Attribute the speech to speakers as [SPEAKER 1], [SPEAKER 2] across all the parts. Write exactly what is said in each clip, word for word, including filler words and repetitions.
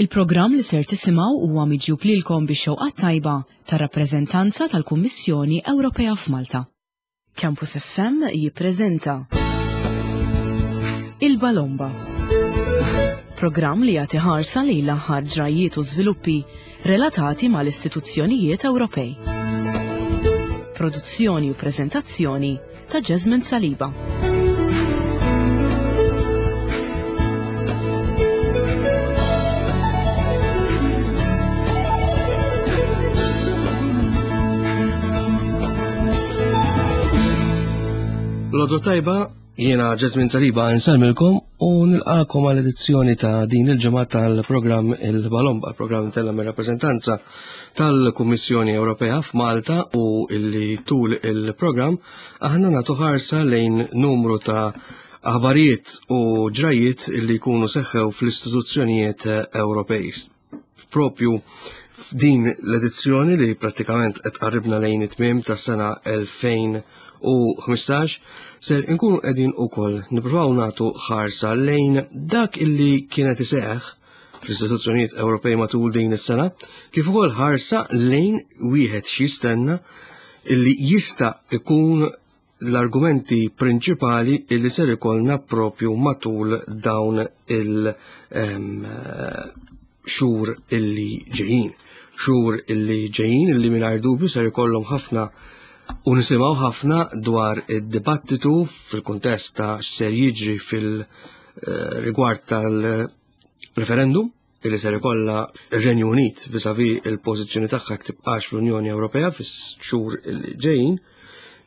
[SPEAKER 1] Il-programm li ser tisimgħu huwa miġjub lilkom bix-xewqa tajba tar-rappreżentanza tal-Kummissjoni Ewropea f'Malta. Campus F M jippreżenta Il-Balomba. Programm li jagħti ħarsa lejn l-aħħar ġrajiet u żviluppi relatati mal-istituzzjonijiet Ewropej. Produzzjoni u preżentazzjoni ta' Jasmine Saliba.
[SPEAKER 2] L-għodwa t-tajba, jiena Jasmine Saliba nsellmilkom u nilqakom għal edizzjoni ta' din il-ġimgħa tal-programm Il-Balomba, programm tella mir rappreżentanza tal-Kummissjoni Ewropea f'Malta u illi tul il-programm aħna nagħtu ħarsa lejn numru ta' aħbarijiet u ġrajiet illi jkunu seħħew fl-istituzzjonijiet Ewropej. Propju f'din l-edizzjoni li prattikament qed qarribna lejn it-tmiem tas-sena elfejn u ħmistax ser inkunu qegħdin ukoll nippruvaw nagħtu ħarsa lejn dak illi kienet iseħħ fl-istituzzjonijiet Ewropej matul din is-sena, kif ukoll ħarsa lejn wieħed x'jistenna illi jista' ikun l-argumenti prinċipali illi ser ikollna propju matul dawn il- xhur illi ġejjin. Xhur illi ġejjin illi mingħajr dubju ser ikollhom ħafna u nisimgħu ħafna dwar id-dibattitu fil-kuntest ta' x'ser jiġri fil-rigward tal-referendum illi ser ikollha ir-Renju Unit vis-à-vis il-pożizzjoni tagħha jekk tibqax fl-Unjoni Ewropea fix-xhur illi ġejjin,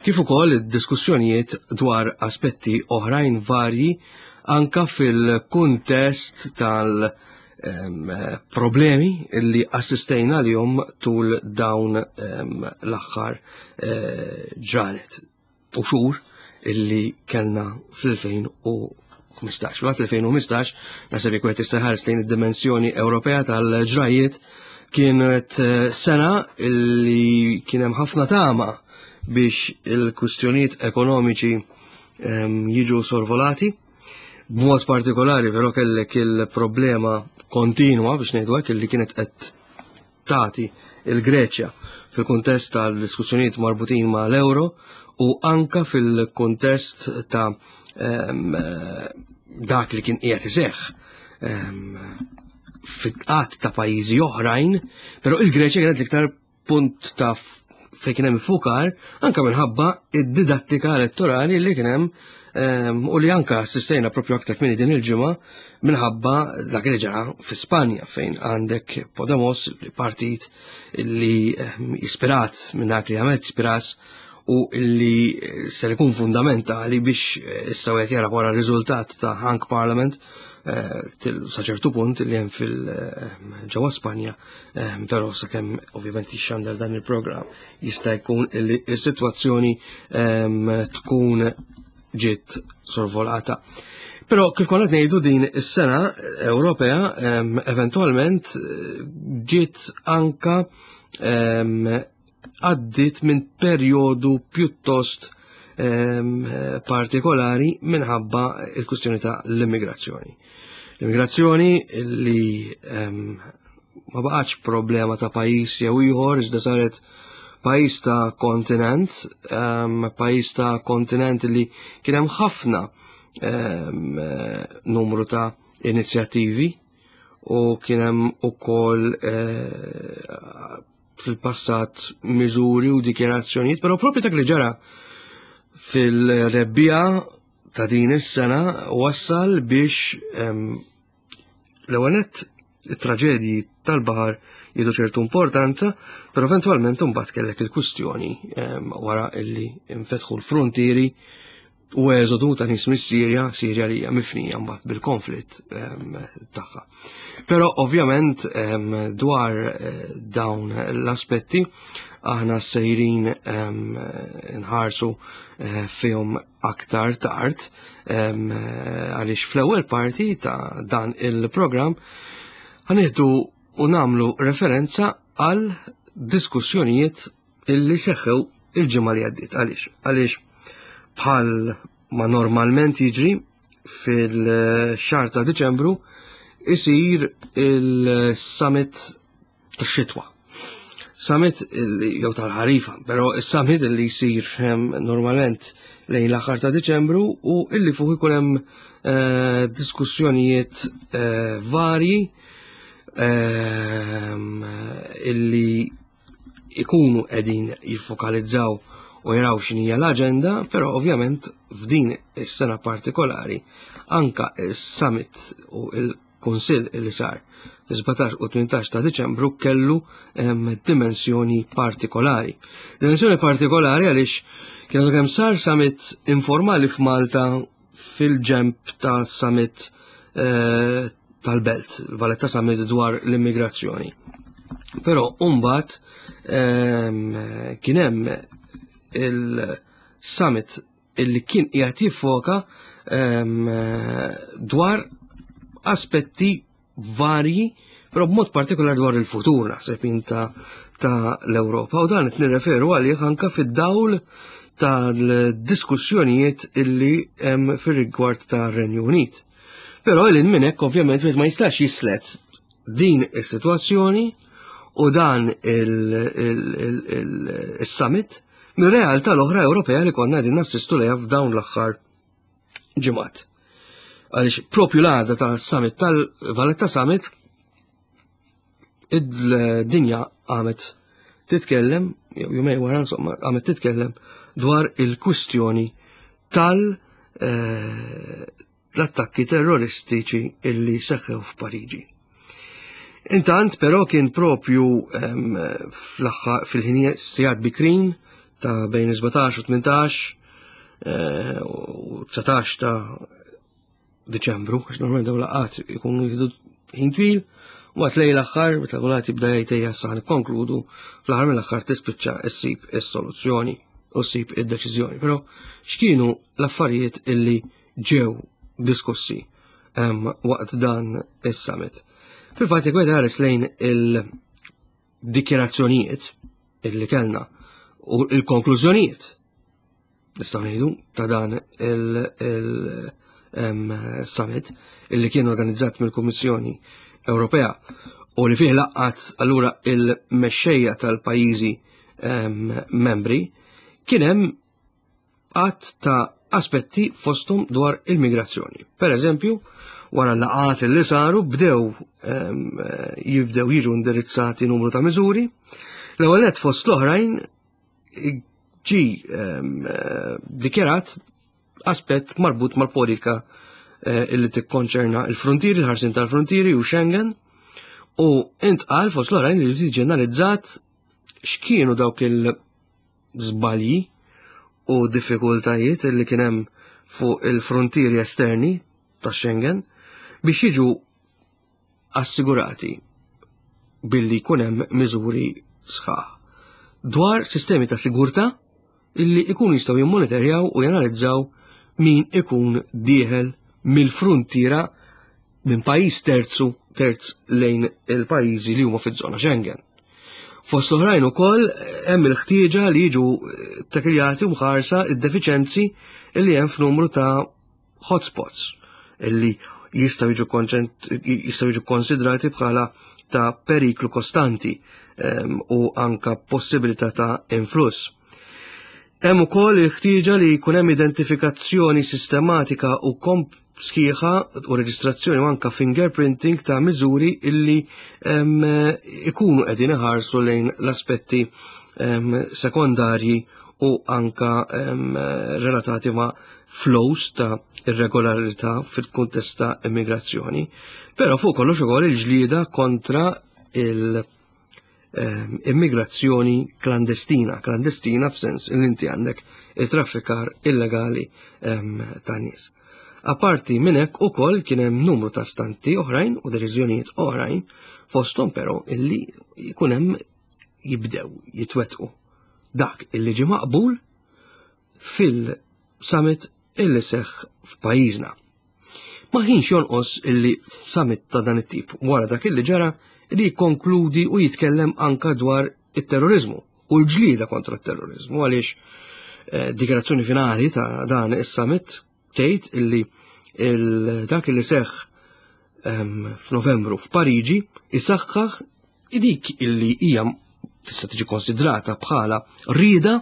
[SPEAKER 2] kif ukoll id-diskussjonijiet dwar aspetti oħrajn varji anka fil-kuntest tal- problemi illi assistejna li tul dawn l-aħħar eh, ġranet u xhur illi kellna fl-elfejn u ħmistax. Waqt elfejn u ħmistax, naħseb jekk wieħed jista' jħares lejn id-dimensjoni Ewropea tal-ġrajiet, kienet eh, sena illi kien hemm ħafna tama biex il-kwistjonijiet ekonomiċi jiġu sorvolati. B'mod partikolari però kellek il-problema kontinwa, biex ngħidu hekk, illi kienet qed tagħti il-Greċja fil-kuntest tal-diskussjonijiet marbutin ma' l-euro u anka fil-kuntest ta' dak li kien qiegħed iseħħ fit-qatt ta' pajjiżi oħrajn, però il-Greċja kienet l-iktar punt ta' fejn kien hemm fukar anka minħabba id-didattika elettorali li kien hemm u li anka assistejna propju aktar kmieni din il-ġimgħa minħabba dak li ġara fi Spanja, fejn għandek Podemos, partit li ispirat minn dak li għamel Tsipras u li ser ikun fundamentali biex issa wieħed jara wara r-riżultat ta' Hung Parliament eh, sa ċertu punt li hemm fil-ġewwa Spanja, però sakemm ovvjament jixxandar dan il-programm jista' jkun li s-sitwazzjoni tkun ġiet sorvolata. Però kif konna ngħidu, din is-sena Ewropea eventualment eh, ġiet anka għaddit minn perjodu pjuttost partikolari minħabba il-kustjoni ta' l-immigrazzjoni. L-immigrazzjoni li ma baqax problema ta' pajjiż jew ieħor, iżda saret pajjiż ta' kontinent, um, pajjiż ta' kontinent li kien hemm ħafna um, numru ta' inizjattivi u kien hemm ukoll uh, fil-passat miżuri u dikjarazzjonijiet, però propju dak li ġara fil-rebbiegħa ta' din is-sena wassal biex um, l-ewwel it-traġedji tal-baħar jieħdu ċertu importanza, però eventwalment imbagħad kellek il-kwistjoni wara illi infetħu l-frontieri u eżodu ta' nies mis-Sirja, Sirja li hija mifnija mbagħad bil-konflitt tagħha. Però ovvjament dwar eh, dawn l-aspetti aħna sejrin nħarsu eh, fihom aktar tard, għaliex fl-ewwel parti ta' dan il-programm ħa nieħdu u nagħmlu referenza għal diskussjonijiet illi seħħew il-ġimgħa li għaddiet. Għaliex? Għaliex bħal ma normalment jiġri fil-xahar ta' Diċembru, isir il-summit tax-xitwa. Summit jew tal-ħarifa, però is-summit li jsir normalment lejn l-aħħar ta' Diċembru u illi fuq ikun hemm eh, diskussjonijiet eh, varji ehm, illi ikunu qegħdin jiffokalizzaw u jaraw x'inhija l-aġenda, però ovvjament f'din is-sena partikolari anka is-summit u il-Kunsill li sar fi sbatax u tmintax ta' Diċembru kellu dimensjoni partikolari. Dimensjoni partikolari għaliex kienu kemm sar summit informali f'Malta fil-ġemp ta' summit eh, tal-Belt, il-Valletta Summit dwar l-immigrazzjoni. Però mbagħad kien hemm il-summit illi kien qiegħed jiffoka dwar aspetti varji, però b'mod partikolari dwar il-futur naħseb ta' ta' l-Ewropa, u dan qed nirreferu għalih anka fid-dawl tal-diskussjonijiet illi hemm fir-rigward ta' Renju Unit. Però il minn hekk ovvjament ma jistax jislet din is-sitwazzjoni u dan il-summit mir-realtà l-oħra Ewropea li konna qegħdin nassistu lejha f'dawn l-aħħar ġimgħat. Għaliex propju l-għada ta' summit tal-Valletta Summit id-dinja għamet titkellem, jumej wara insomma, għamet titkellem dwar il-kwistjoni tal eh, l-attakki terroristiċi illi seħħew f'Pariġi. Intant però kien propju fil-ħinijiet sigħat bikrin ta' bejn sbatax u tmintax eh, u dsatax ta' Diċembru, għax normalment dawn laqgħat ikunu jieħdu ħin twil, u għat lejn l-aħħar, meta kulħadd jibda jgħid ejja sa nikkonkludu, fl-aħħar mill-aħħar tispiċċa issib is-soluzzjoni u ssib id-deċiżjoni. Però x'kienu l-affarijiet illi ġew diskussi waqt dan is-summit? Fil-fatt jekk wieħed ħares lejn il-dikjerazzjonijiet illi kellna u il-konklużjonijiet nistgħu ngħidu ta' dan il-summit illi kien organizzat mill-Kummissjoni Ewropea u li fih laqgħat allura il-mexxejja tal-pajjiżi membri, kien hemm għadd ta' aspetti fosthom dwar il-migrazzjoni. Per eżempju, wara l-laqgħat li saru bdew jibdew jiġu indirizzati numru ta' miżuri. L-ewwel nett fost l-oħrajn ġi dikjarat aspett marbut mal-politika eh, illi tikkonċerna il-frontieri, il-ħarsin tal-frontieri u Schengen, u intqal fost l-oħrajn li tiġi analizzat x'kienu dawk il-żbalji u diffikultajiet illi kien hemm fuq il-frontieri esterni ta' Schengen biex jiġu assigurati billi jkun hemm miżuri sħaħ dwar sistemi ta' sigurtà illi ikunu jistgħu jimmonitorjaw u janalizzaw min ikun dieħel mill-frontiera minn pajjiż terzu terz lejn il-pajjiżi li huma fiż-żona Schengen. Fost oħrajn ukoll hemm il-ħtieġa li jiġu takiljati u mħarsa id-defiċenzi illi hemm f'numru ta' hotspots illi jistgħu jiġu jistgħu jiġu konsidrati bħala ta' periklu kostanti u anka possibilità ta' influss. Hemm ukoll il-ħtieġa li jkun hemm identifikazzjoni sistematika u komp sħiħa u reġistrazzjoni u anka fingerprinting ta' miżuri illi ikunu qegħdin iħarsu lejn l-aspetti sekondarji u anka relatati ma' flows ta' irregolarità fil-kuntest ta' immigrazzjoni. Però fuq kollox ukoll il-ġlieda kontra il- immigrazzjoni klandestina, klandestina f'sens li inti għandek il-traffikar illegali ta' nies. Aparti minn hekk ukoll kien hemm numru ta' stanti oħrajn u deċiżjonijiet oħrajn fosthom però illi jkun hemm jibdew jitwetqu dak illi ġie maqbul fil-summit illi seħħ f'pajjiżna. Ma kienx jonqos illi f'summit ta' dan it-tip wara dak illi ġara li jikkonkludi u jitkellem anka dwar it-terrorizmu u l-ġlieda kontra t-terrorizmu, għaliex eh, dikjarazzjoni finali ta' dan is-summit tgħid illi dak illi seħħ f'Novembru f'Pariġi isaħħaħ dik illi hija tista' tiġi konsidrata bħala rieda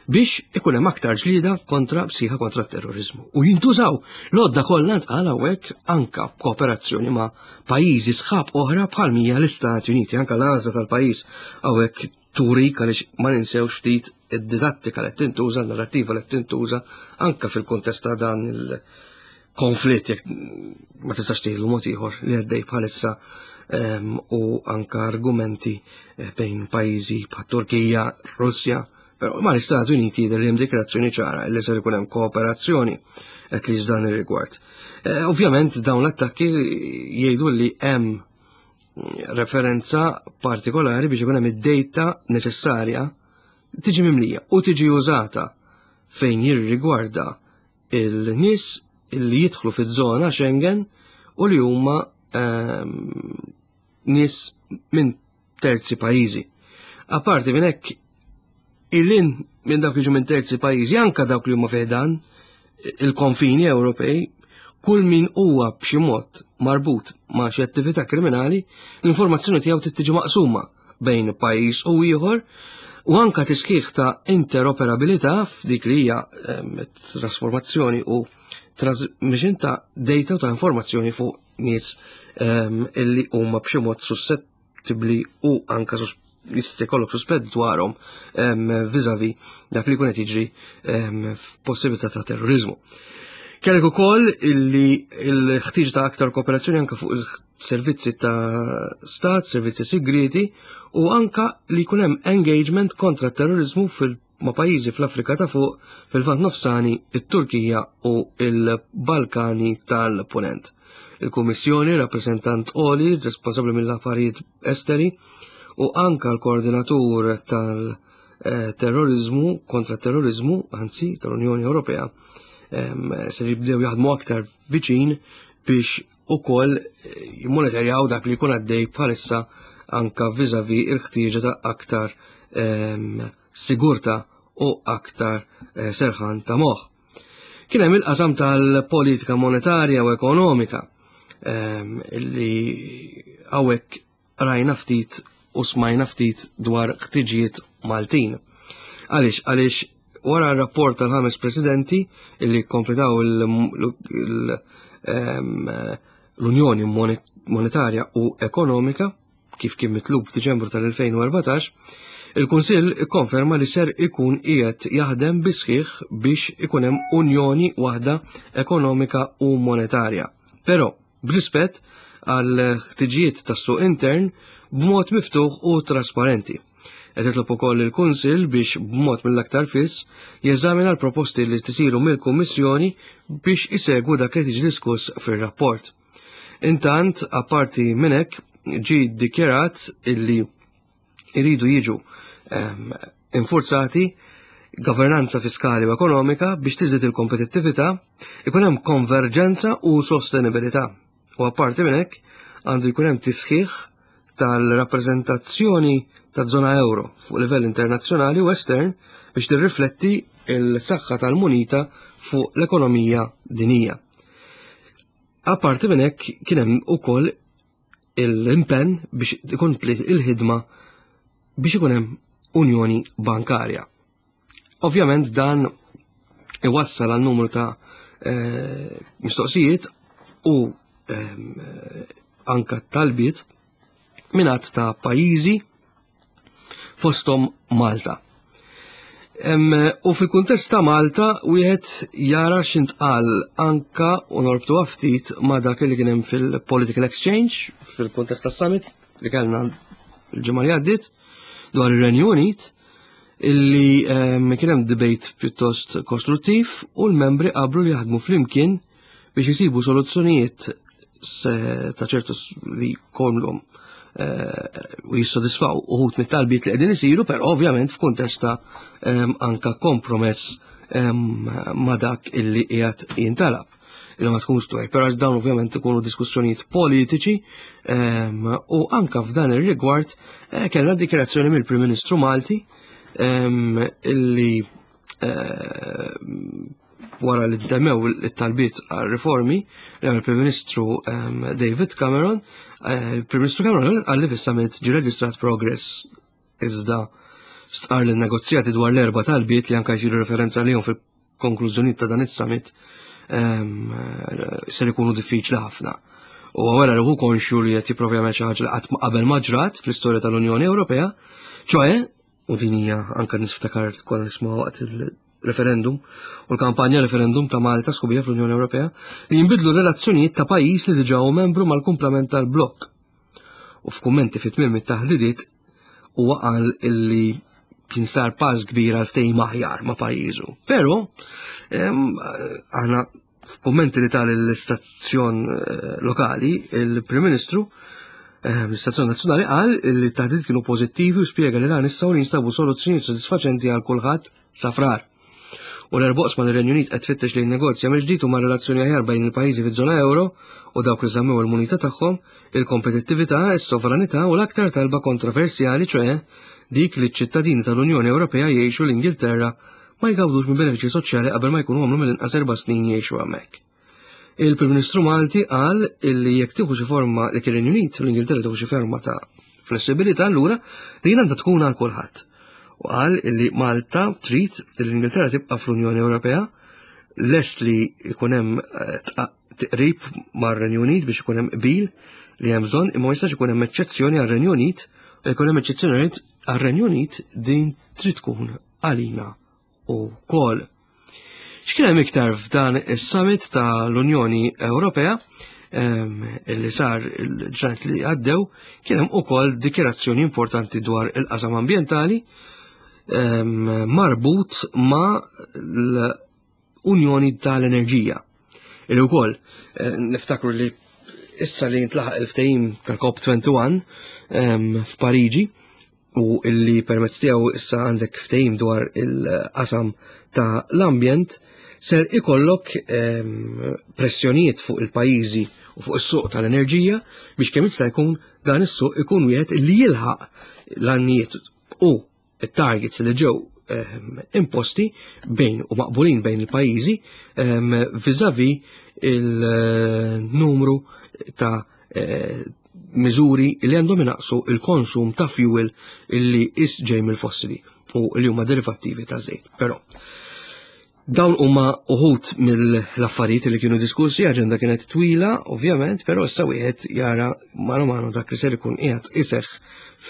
[SPEAKER 2] biex ikun hemm aktar ġlieda kontra psiħa kontra terrorizmu. U jintużaw l-għodda kollha ntqal hawnhekk anka kooperazzjoni ma' pajjiżi sħab oħra bħal mija l-Istati Uniti, anka l-għażla tal-pajjiż hawnhekk turik għaliex ma ninsewx ftit id-didattika li tintuża, l-narrativa li tintuża anka fil-kuntest ta' dan il-konflitt jekk ma tistax tgħidlu mod ieħor li għaddej bħalissa u anka argumenti eh, bejn pajjiżi bħat Turkija, Russja, però ma l-Istati Uniti jidher li hemm dikrazzjoni ċara li ser ikun hemm kooperazzjoni qed li dan ir-rigward. Eh, ovvjament dawn l-attakki jgħidu li hemm referenza partikolari biex ikun hemm id-data neċessarja tiġi mimlija u tiġi użata fejn jirrigwarda il-nies li jidħlu fiż-żona Schengen u li huma ehm, nies minn terzi pajjiżi. Apparti minn hekk illin minn dawk li ġu minn terzi pajjiżi, anka dawk li huma fiħdan il-konfini Ewropej, kull min huwa b'xi mod marbut ma' xi attività kriminali, l-informazzjoni tiegħu trid tiġi maqsuma bejn pajjiż u ieħor u anka tisħiħ ta' interoperabilità f'dik li hija ehm, trasformazzjoni u transmission ta' data u ta' informazzjoni fuq nies ehm, illi huma b'xi mod suscettibbli u anka jista' jkollok suspett dwarhom ehm, vis-a-vis dak li jkun qed jiġri f'possibilità ta' terrorizmu. Kellek ukoll illi l-ħtieġ ta' aktar kooperazzjoni anka fuq il-servizzi ta' stat, servizzi segreti u anka li jkun hemm engagement kontra terrorizmu fil ma' pajjiżi fl-Afrika ta' fuq, fil-Lvant Nofsani, it-Turkija u il-Balkani tal-Ponent. Il-Kummissjoni, rappresentant Oli, responsabbli mill-affarijiet esteri, u anka l-koordinatur tal-terrorizmu, kontra terrorizmu, anzi, tal-Unjoni Ewropea, se jibdew jaħdmu aktar viċin biex ukoll jimmonitorjaw dak li jkun għaddej bħalissa anka vis-a-vis il-ħtieġa ta' aktar sigurta u aktar eh, serħan ta' moħ. Kien hemm il-qasam tal-politika monetarja u ekonomika illi hawnhekk rajna ftit u smajna ftit dwar ħtiġijiet Maltin. Għaliex, għaliex wara r-rapport tal-ħames presidenti illi kompletaw l-Unjoni Monetarja u Ekonomika kif kien mitlub f'Diċembru tal-elfejn u erbatax, il-Kunsill ikkonferma li ser ikun qiegħed jaħdem bisħiħ biex ikun hemm unjoni waħda ekonomika u monetarja. Però b'rispett għal ħtiġijiet tas-suq intern b'mod miftuħ u trasparenti. Qed jitlob ukoll il-Kunsill biex b'mod mill-aktar fiss jeżamina l-proposti li tisiru mill-Kummissjoni biex isegwu dak li tiġi diskuss fir-rapport. Intant, apparti minn hekk, ġie ddikjarat illi iridu jiġu, ehm, infurzati governanza fiskali u ekonomika biex tiżdied il-kompetittività, ikun hemm konverġenza u sostenibilità. U apparti minn hekk għandu jkun hemm tisħiħ tal-rappreżentazzjoni ta' żona euro fuq livell internazzjonali u estern biex tirrifletti il-saħħa tal-munita fuq l-ekonomija dinija. Apparti minn hekk kien hemm ukoll l-impenn biex ikompli il-ħidma biex ikun hemm unjoni bankarja. Ovvjament dan iwassal għal numru ta', eh, mistoqsijiet u, ehm, anka talbiet mingħand ta' pajjiżi fosthom Malta. Em, u fil-kuntest ta' Malta wieħed jara x'intqal anka u norbtu ftit ma' dak li kien hemm fil-Political Exchange fil-kuntest tas-summit li kellna l-ġimgħa li għaddiet dwar ir-Renju Unit, illi, em, kien hemm debate pjuttost kostruttiv u l-membri qablu li jaħdmu flimkien biex jisibu soluzzjonijiet ta' ċertu li kollhom, eh, u jissodisfaw uħut mit-talbiet li qegħdin isiru, però ovvjament f'kuntest ta', em, anka kompromess, em, ma' dak illi qiegħed jintalab. Illi ma tkunx twejn, però dawn ovvjament ikunu diskussjonijiet politiċi, em, u anka f'dan ir-rigward, eh, kellna dikjarazzjoni mill-Prim Ministru Malti, em, illi, eh, wara li ntemmew it-talbiet għal riformi li għamel il-Prim Ministru ehm, David Cameron, eh, il-Prim Ministru Cameron qal li fis-summit ġie reġistrat progress, iżda stqar li negozjati dwar l-erba talbiet li anka jsiru referenza lihom fil-konklużjonijiet ta' dan is-summit ehm, ser ikunu diffiċli ħafna. U għara li hu konxju li qed jipprova jagħmel xi ħaġa li qatt qabel ma ġrat fl-istorja tal-Unjoni Ewropea, ċoe, u din hija anke niftakar konna nisma' waqt il-referendum u l-kampanja referendum ta' Malta sħubija fl-Unjoni Ewropea, li jinbidlu relazzjonijiet ta' pajjiż li diġà hu membru mal-kumplament tal-blokk. U f'kummenti fit tmiem it-taħdidiet huwa qal illi kien sar pass kbir għal ftehim aħjar ma' pajjiżu. Però aħna f'kummenti li tal l-istazzjon eh, lokali, il-Prim Ministru eh, l-Istazzjon Nazzjonali qal li t-taħdidiet kienu pożittivi u spjega li l-għan issa li jinstabu soluzzjonijiet sodisfaċenti għal kulħadd sa Frar. U l-erba' oqsma li r-Renju Unit qed tfittex li jinnegozja mill-ġdid huma relazzjoni aħjar bejn il-pajjiżi fiż-żona euro u dawk li żammew il-munita tagħhom, il-kompetittività, is-sovranità u l-aktar talba kontroversjali, ċoe dik li ċ-ċittadini tal-Unjoni Ewropea jgħixu l-Ingilterra ma jgawdux minn benefiċċji soċjali qabel ma jkunu għamlu mill-inqas erba' snin jgħixu hemmhekk. Il-Prim Ministru Malti qal illi jekk tieħu xi forma li kien Unit u l-Ingilterra tieħu xi forma ta' flessibilità, allura din għandha tkun għal kulħadd. U qal illi Malta trid li l-Ingilterra tibqa' fl-Unjoni Ewropea, lest li jkun hemm eh, tqrib mar-Renju Unit biex ikun hemm qbil li hemm bżonn, imma ma jistax ikun hemm eċċezzjoni għar-Renju Unit, u jkun hemm eċċezzjoni għar-Renju Unit din trid tkun għalina ukoll. X'kien hemm iktar f'dan is-summit tal-Unjoni Ewropea illi sar il-ġranet li għaddew? Kien hemm ukoll dikjerazzjoni importanti dwar il-qasam ambjentali marbut ma' l-Unjoni tal-Enerġija. Illi wkoll eh, niftakru li issa li jintlaħaq il-ftehim tal-COP wieħed u għoxrin f'Pariġi u illi permezz tiegħu issa għandek ftehim dwar il-qasam ta' l-ambjent, ser ikollok pressjonijiet fuq il-pajjiżi u fuq is-suq tal-enerġija biex kemm jista' jkun dan is-suq ikun wieħed li jilħaq l-għannijiet u it-targets li ġew imposti bejn u maqbulin bejn il-pajjiżi vis-a-vis il-numru ta' eh, miżuri li għandhom inaqsu il-konsum ta' fuel illi is ġej mill-fossili u li huma derivattivi ta' żejt. Però dawn huma uħut mill-affarijiet li kienu diskussi, aġenda kienet twila, ovvjament, però issa wieħed jara mano mano dak li ser ikun qiegħed iseħħ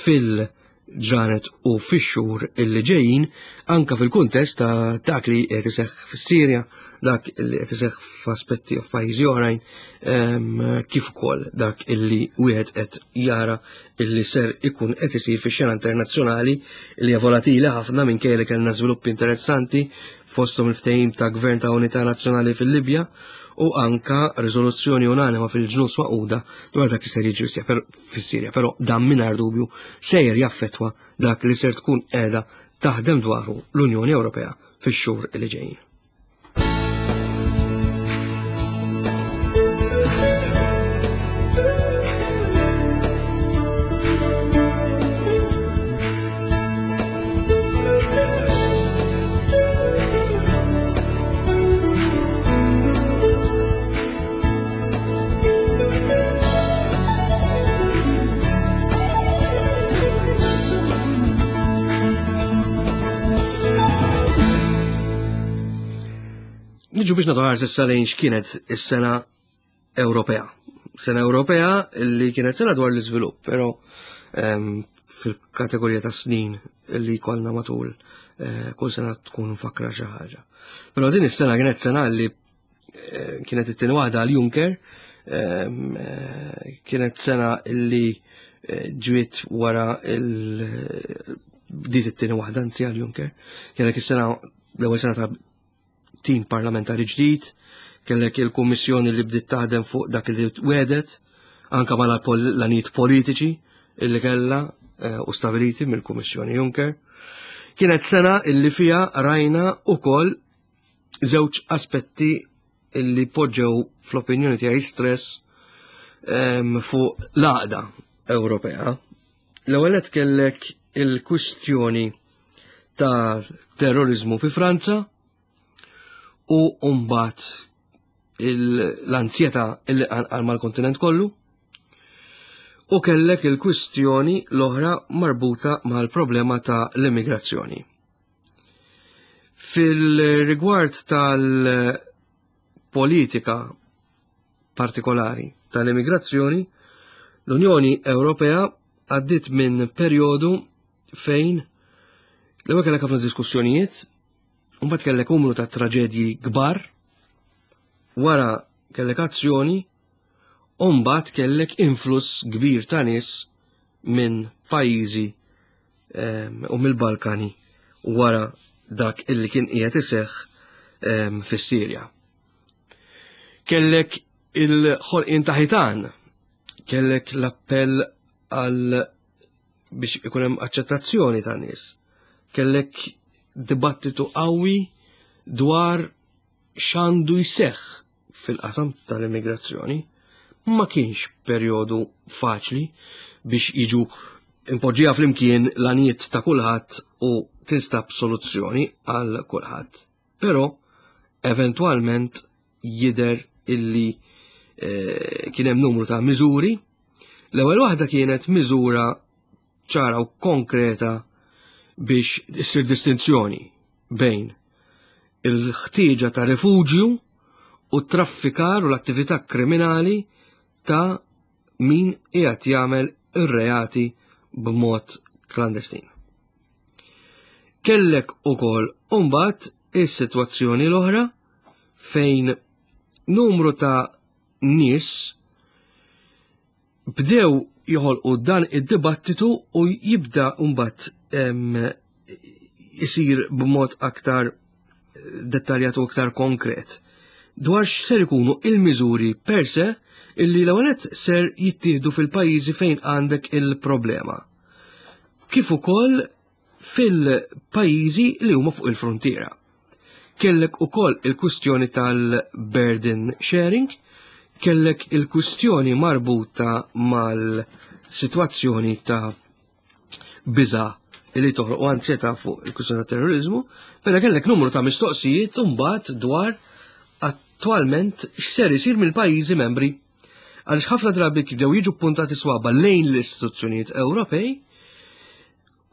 [SPEAKER 2] fil-ġranet u fix-xhur illi ġejjin, anka fil-kuntest ta' dak li qed iseħħ fis-Sirja, dak li qed iseħħ f'aspetti f'pajjiżi oħrajn, kif ukoll dak illi wieħed qed jara illi ser ikun qed isir fix-xena internazzjonali li hija volatili ħafna, minkejja li kellna żviluppi interessanti fosthom il-ftehim ta' Gvern ta' Unità Nazzjonali fil-Libja u anka riżoluzzjoni unanima fil-Ġnus Magħquda dwar dak li ser jiġri fis-Sirja, però dan mingħajr dubju sejjer jaffettwa dak li ser tkun qiegħda taħdem dwaru l-Unjoni Ewropea fix-xhur li ġejjin. Niġu biex nagħtu ħarsa issa lejn x'kienet is-sena Ewropea. Sena Ewropea li kienet sena dwar l-iżvilupp, però ehm, fil-kategorija ta' snin li kollna matul eh, kull sena tkun mfakra xi ħaġa. Però din is-sena kienet sena li eh, kienet it-tieni waħda għal Juncker, ehm, eh, kienet sena li ġiet wara il bdiet it-tieni waħda anzi għal Juncker. Kienet is-sena l-ewwel sena ta' tim parlamentari ġdid, kellek il-kummissjoni li bdiet taħdem fuq dak li wedet, anka mal l-għanijiet politiċi illi kellha eh, u stabiliti mill-Kummissjoni Juncker. Kienet sena illi fija rajna ukoll żewġ aspetti illi poġġew fl-opinjoni tiegħi stress ehm, fuq l-għaqda Ewropea. L-ewwel qed kellek il-kwistjoni ta' terrorizmu fi Franza u mbagħad l-anzjetà illi qanqal mal-kontinent kollu. U kellek il-kwistjoni l-oħra marbuta mal-problema ta' l-immigrazzjoni. Fil-rigward tal-politika partikolari tal-immigrazzjoni, l-Unjoni Ewropea għaddit minn perjodu fejn l-ewwel kellek ħafna diskussjonijiet, u mbagħad kellek numru ta' traġedji kbar, wara kellek azzjoni, u mbagħad kellek influss kbir ta' nies minn pajjiżi u mill-Balkani wara dak illi kien qiegħed iseħħ fis-Sirja. Kellek il-ħolqien ta' ħitan, kellek l-appell għal biex ikun hemm aċċettazzjoni ta' nies. Kellek dibattitu qawwi dwar x'għandu jseħħ fil-qasam tal-immigrazzjoni. Ma kienx perjodu faċli biex jiġu impoġġija flimkien l-għanijiet ta' kulħadd u tinstab soluzzjoni għal kulħadd. Però eventwalment jidher illi eh, kien hemm numru ta' miżuri. L-ewwel waħda kienet miżura ċara u konkreta biex issir distinzjoni bejn il-ħtieġa ta' refuġju u traffikar u l-attività kriminali ta' min qiegħed jagħmel ir-reati b'mod klandestin. Kellek ukoll imbagħad is-sitwazzjoni l-oħra fejn numru ta' nies bdew joħolqu dan id-dibattitu u jibda mbagħad isir b'mod aktar dettaljat u aktar konkret dwar x'ser ikunu il-miżuri per se illi l-ewwel ser jittieħdu fil-pajjiżi fejn għandek il-problema. Kif ukoll fil-pajjiżi li huma fuq il-frontiera. Kellek ukoll il-kwistjoni tal-burden sharing, kellek il-kwistjoni marbuta mal-sitwazzjoni ta' biża li toħloq u anzjetà fuq il-kwistjoni ta' terrorizmu, però kellek numru ta' mistoqsijiet mbagħad dwar attwalment x'ser isir mill-pajjiżi membri. Għaliex ħafna drabi bdew jiġu puntati swaba lejn l-istituzzjonijiet Ewropej,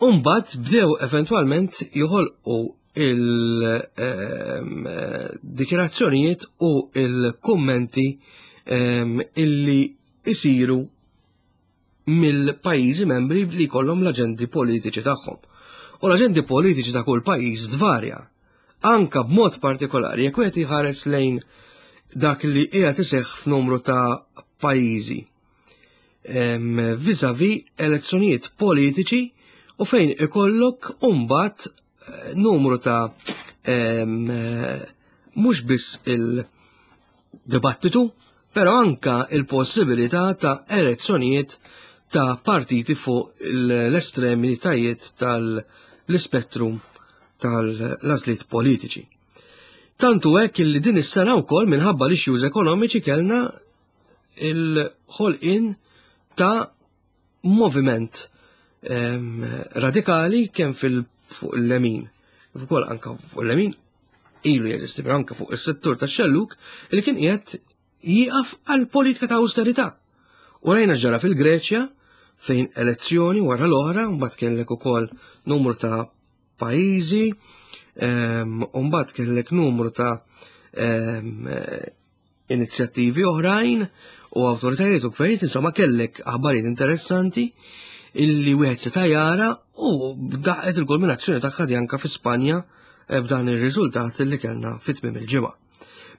[SPEAKER 2] u mbagħad bdew eventwalment joħolqu il-dikjarazzjonijiet u il-kummenti illi isiru mill-pajjiżi membri li jkollhom l-aġendi politiċi tagħhom. U l-aġendi politiċi ta' kull pajjiż tvarja. Anka b'mod partikolari jekk wieħed iħares lejn dak li qiegħed iseħħ f'numru ta' pajjiżi vis-a-vis elezzjonijiet politiċi u fejn ikollok mbagħad numru ta' mhux biss il-dibattitu, però anka il-possibilità ta' elezzjonijiet ta' partiti fuq l-estremitajiet tal-ispettrum tal-għażliet politiċi. Tantu hekk li din is-sena wkoll minħabba l-issues ekonomiċi kellna il-ħolqien ta' moviment radikali kemm fil fuq il-lemin, kif ukoll anka fuq il-lemin ilu jeżisti, però anka fuq is-settur tax-xelluk li kien qiegħed jieqaf għal politika ta' austerità. U rajna ġara fil-Greċja fejn elezzjoni wara l-oħra, mbagħad kellek ukoll numru ta' pajjiżi, u mbagħad kellek numru ta' inizjattivi oħrajn u awtoritajiet u gvernijiet, insomma kellek aħbarijiet interessanti illi wieħed seta' jara u daqqet il-kulminazzjoni tagħha di anka fi Spanja b'dan ir-riżultat li kellna fit-tmiem il-ġimgħa.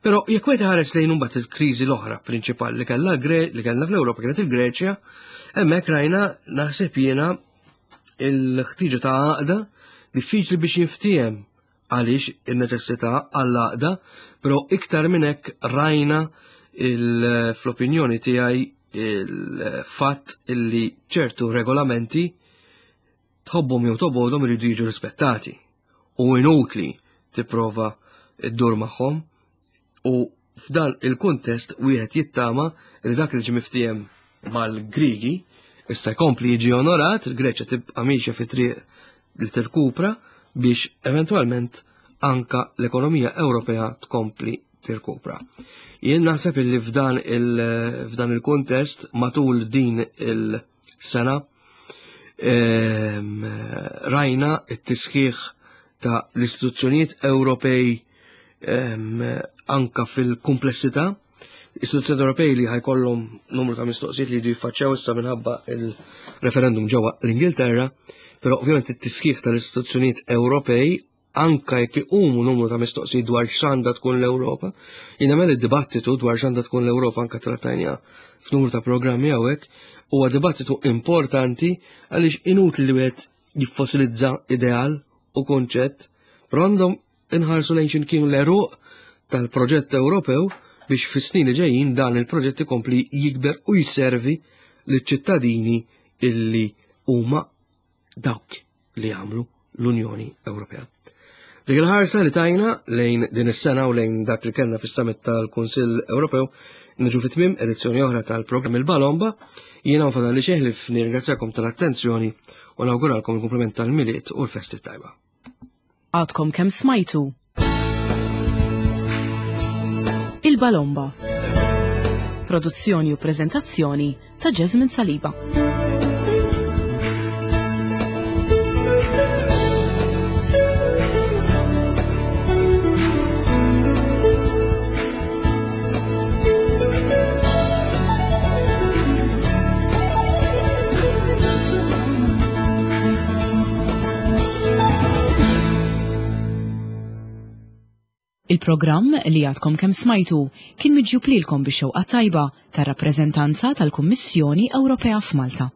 [SPEAKER 2] Però jekk wieħed iħares lejn imbagħad il-kriżi l-oħra prinċipali li kellha li kellna fl-Ewropa kienet il-Greċja, hemmhekk rajna naħseb jiena il-ħtiġa ta' għaqda diffiċli biex jinftiehem għaliex in-neċessità għall-għaqda, però iktar minn hekk rajna fl-opinjoni tiegħi il-fatt illi ċertu regolamenti tħobbhom jew tobgħodhom iridu jiġu rispettati u inutli tipprova ddur magħhom u f'dan il-kuntest wieħed jittama li dak li ġie miftiehem mal-Grigi issa jkompli jiġi onorat, il-Greċja tibqa' miexja fi triq li tirkupra biex eventwalment anka l-ekonomija Ewropea tkompli tirkupra. Jien naħseb illi f'dan il- il-kuntest matul din il-sena ehm, rajna it-tisħiħ ta' l-istituzzjonijiet Ewropej ehm, anka fil-komplessità. Istituzzjonijiet Ewropej li ħa jkollhom numru ta' mistoqsijiet li jridu jiffaċċjaw issa minħabba il-referendum ġewwa l-Ingilterra, però ovvjament it-tisħiħ tal-istituzzjonijiet Ewropej, anka jekk iqumu numru ta' mistoqsijiet dwar x'għandha tkun l-Ewropa, jien nagħmel id-dibattitu dwar x'għandha tkun l-Ewropa, anka trattajna f'numru ta' programmi hawnhekk, huwa dibattitu importanti għaliex inutli li wieħed jiffosilizza ideal u konċett, però għandhom inħarsu lejn x'inkienu l-għeruq tal-proġett Ewropew biex fis-snin li ġejjin dan il-proġett ikompli jikber u jservi liċ-ċittadini illi huma dawk li jagħmlu l-Unjoni Ewropea. Dik il-ħarsa li tajna lejn din is-sena u lejn dak li kellna fis-summit tal-Kunsill Ewropew, niġu fi tmiem edizzjoni oħra tal-programm Il-Balomba. Jiena fadal li xeħlif nirringrazzjakom tal-attenzjoni u nawguralkom il-kumplament tal-Milied u l-festi tajba.
[SPEAKER 1] Għadkom kemm smajtu Il-Balomba. Produzzjoni u prezentazzjoni ta' Jasmine Saliba. Il-programm li għadkom kemm smajtu kien miġjub lilkom bix-xewqa tajba tar-rappreżentanza tal-Kummissjoni Ewropea f'Malta.